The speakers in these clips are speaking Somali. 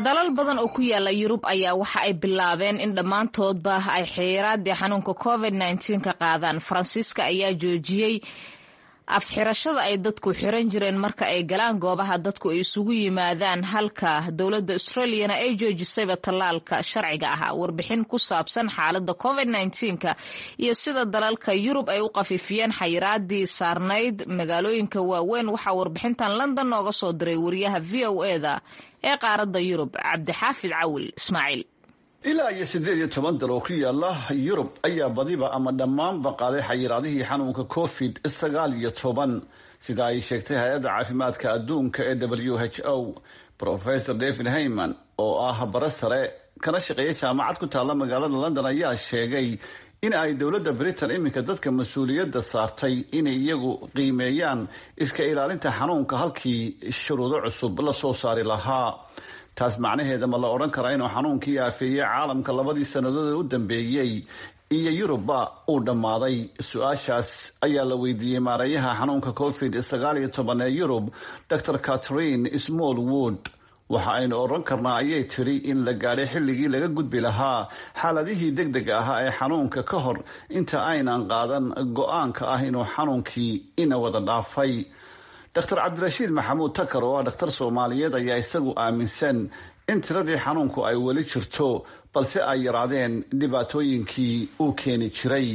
Dalal badan oo ku yaala Yurub ayaa waxa ay bilaabeen in dhammaantoodba ay xayiraadii xanuunka COVID-19 ka qaadaan. Faransiiska ayaa joojiyey afxirashada ay dadku xiran jireen marka ay galaan goobaha dadku ay isugu yimaadaan, halka dowladda Australiana ay joojisayba tallaalka sharciga ahaa. Warbixin ku saabsan xaaladda COVID-19-ka iyo sida dalalka Yurub ay u qafiifiyeen xayiraadii saarnayd magaalooyinka waaweyn, waxaa warbixintan London nooga soo diray wariyaha VOA-da ee qaaradda Yurub, Cabdixaafid Cawil Ismaaciil. Ilaa iyo 18 dal oo ku yaala Yurub ayaa badiba ama dhammaanba qaaday xayiraadihii xanuunka COVID-19, sida ay sheegtay Hay-adda Caafimaadka Adduunka ee WHO. Professor David Heyman, oo ah bare sare kana shaqeeya jaamacad ku taalla magaalada London, ayaa sheegay in ay dowladda Britain iminka dadka mas-uuliyadda saartay inay iyagu qiimeeyaan iska ilaalinta xanuunka halkii shuruudo cusub la soo saari lahaa. Taas macnaheeda ma la odhan karaa inuu xanuunkii aafeeyey caalamka 2dii sannadood ee u dambeeyey iyo Yurubba uu dhammaaday? Su-aashaas ayaa la weydiiyey maareeyaha xanuunka COVID-19 ee Yurub, Dr Catherine Smallwood. "Waxa aynu odhan karnaa," ayay tidhi, "in la gaadhay xilligii laga gudbi lahaa xaaladihii deg dega ahaa ee xanuunka ka hor inta aynan qaadan go-aanka ah inuu xanuunkii ina wada dhaafay." Dr Cabdirashiid Maxamuud Takar, oo ah dhakhtar Soomaaliyeed, ayaa isagu aaminsan in tiradii xanuunku ay weli jirto, balse ay yaraadeen dhibaatooyinkii uu keeni jiray.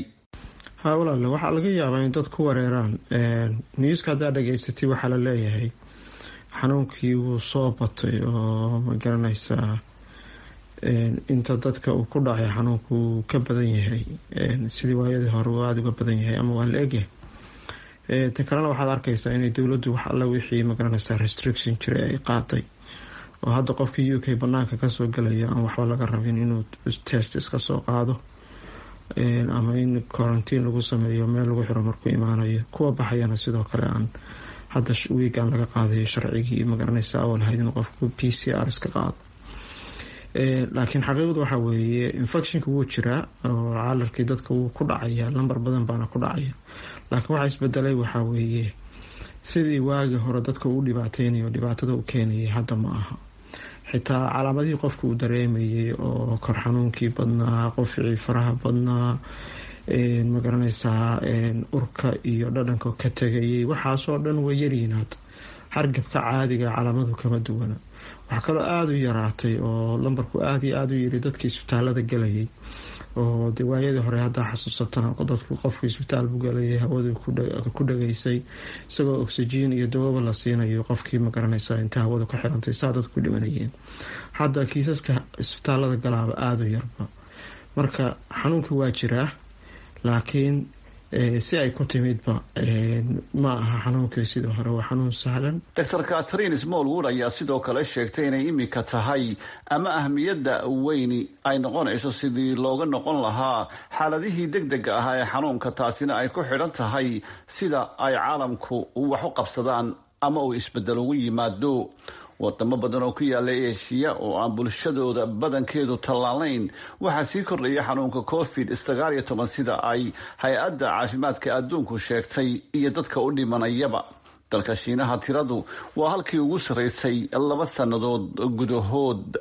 Ha walaale, waxaa laga yaabaa in dad ku wareeraan newska. Haddaa dhageysatay, waxaa la leeyahay xanuunkii wuu soo batay oo, ma garanaysaa, inta dadka uu ku dhacay xanuunku wuu ka badan yahay sidii waayadii hore, uu aada uga badan yahay ama waa la egyahay. Ta kalena, waxaad arkaysaa inay dowladdu wax alla wixii, magaranaysaa, restriction jiray ay qaaday, oo hadda qofkii UK banaanka kasoo galaya aan waxba laga rabin inuu test iska soo qaado ama in quarantine lagu sameeyo, meel lagu xiro markuu imaanayo. Kuwa baxayana sidoo kale aan hadda wiigan laga qaadayo sharcigii, magaranaysa, awal ahayd inuu qofku PCR iska qaado. Laakiin xaqiiqdu waxaa weeye infectionka wuu jiraa oo caalarkii dadka wuu ku dhacaya, lambar badan baana ku dhacaya. Laakiin waxaa isbedelay waxaa weeye sidii waagii hore dadka uu dhibaateynayo, dhibaatada u keenayay, hadda ma aha. Xitaa calaamadihii qofka uu dareemayay oo kor xanuunkii badnaa, qofcii faraha badnaa, magaranaysaa, urka iyo dhadhanka ka tegayay, waxaasoo dhan way yaryihiin hadda. Hargabka caadiga calaamadu kama duwana. Waxaa kaloo aada u yaraatay oo lambarku aada iyo aada u yiri dadkii isbitaalada galayay, oo de waayadii hore haddaa xasuusatana, dadku qofku isbitaal buu galayay, hawadu ku dhageysay, isagoo oxygen iyo dawaba la siinayo qofkii, magaranaysaa, inta hawadu ka xirantay saa dadku dhimanayeen. Hadda kiisaska isbitaalada galaaba aada u yarba. Marka xanuunka waa jiraa, laakiin si ay ku timidba ma aha xanuunkii sidii hore, waa xanuun sahlan. Dr Catherine Smallwood ayaa sidoo kale sheegtay inay imika tahay ama ahmiyadda weyni ay noqonayso sidii looga noqon lahaa xaaladihii deg dega ahaa ee xanuunka, taasina ay ku xidhan tahay sida ay caalamku wax u qabsadaan ama uu isbedel ugu yimaado. Wadamo badan oo ku yaala Eshiya oo aan bulshadooda badankeedu tallaalayn waxaa sii kordhaya xanuunka COVID-19, sida ay Hay-adda Caafimaadka Adduunku sheegtay, iyo dadka u dhimanayaba. Dalka Shiinaha tiradu waa halkii ugu sarreysay 2 sannadood gudahood.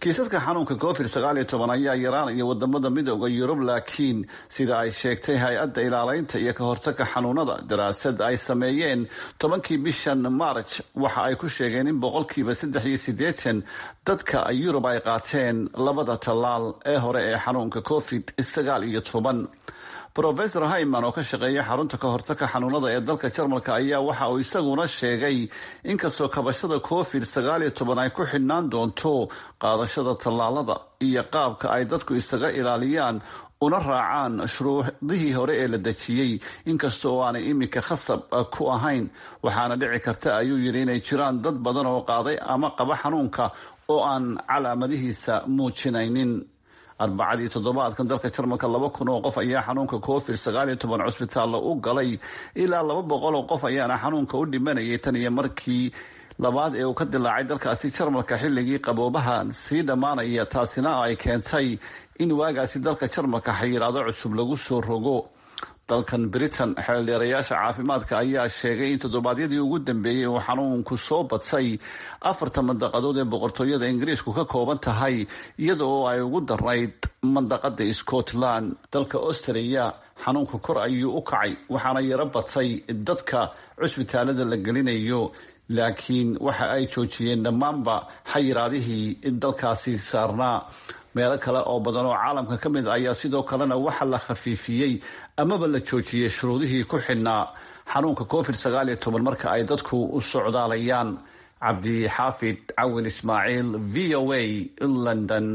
Kiisaska xanuunka COVID-19 ayaa yaraanaya wadamada Midooda Yurub, laakiin sida ay sheegtay Hay-adda Ilaaleynta iyo ka Hortagga Xanuunada, daraasad ay sameeyeen 10kii bishan March waxa ay ku sheegeen in 83% dadka Yurub ay qaateen labada tallaal ee hore ee xanuunka COVID-19. Professor Hyman, oo ka shaqeeya xarunta ka hortagka xanuunada ee dalka Jarmalka, ayaa waxa uu isaguna sheegay inkastoo kabashada COVID-19 ay ku xidhnaan doonto qaadashada tallaalada iyo qaabka ay dadku isaga ilaaliyaan una raacaan shuruudihii hore ee la dejiyey, inkasta oo aanay iminka khasab ku ahayn, waxaana dhici karta, ayuu yidhi, inay jiraan dad badan oo qaaday ama qaba xanuunka oo aan calaamadihiisa muujinaynin. Arbacadii toddobaadkan dalka Jarmalka 2000 oo qof ayaa xanuunka COVID-19 cusbitaalla u galay, ilaa 200 oo qof ayaana xanuunka u dhimanayay tan iyo markii labaad ee uu ka dilaacay dalkaasi Jarmalka xilligii qaboobaha sii dhammaanaya, taasina ay keentay in waagaasi dalka Jarmalka xayiraado cusub lagu soo rogo. Dalkan Britain, xeeldheerayaasha caafimaadka ayaa sheegay in toddobaadyadii ugu dambeeyey uu xanuunku soo badsay afarta mandaqadood ee boqortooyada Ingiriisku ka kooban tahay, iyada oo ay ugu darnayd mandaqada Scotland. Dalka Australia xanuunka kor ayuu u kacay, waxaana yaro badsay dadka cusbitaalada la gelinayo, laakiin waxa ay joojiyeen dhammaanba xayiraadihii dalkaasi saarnaa. Meelo kale oo badan oo caalamka ka mid ayaa sidoo kalena waxa la khafiifiyey amaba la joojiyey shuruudihii ku xidhnaa xanuunka COVID-19 marka ay dadku u socdaalayaan. Cabdixaafid Cawin Ismaaciil, VOA, London.